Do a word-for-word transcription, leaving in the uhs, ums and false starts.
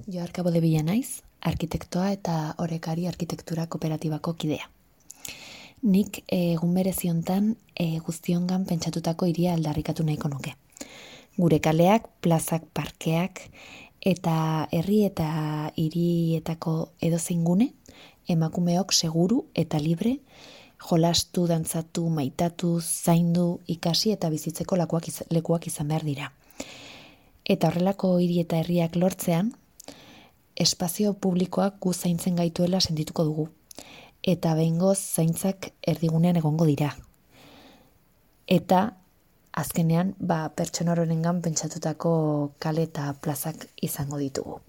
Joarka Bodebila naiz, arkitektoa eta Orekari Arkitektura Kooperatibako kidea. Nik egun berezi hontan e, guztiongan pentsatutako hiria aldarrikatu nahiko nuke. Gure kaleak, plazak, parkeak eta herri eta hirietako edozein gune emakumeok seguru eta libre jolastu, dantzatu, maitatu, zaindu, ikasi eta bizitzeko lekuak, iz, lekuak izan behar dira. Eta horrelako hiri eta herriak lortzean, espazio publikoak gu zaintzen gaituela sentituko dugu. Eta behingoz zaintzak erdigunean egongo dira. Eta azkenean ba, pertsona horrengan pentsatutako kale eta plazak izango ditugu.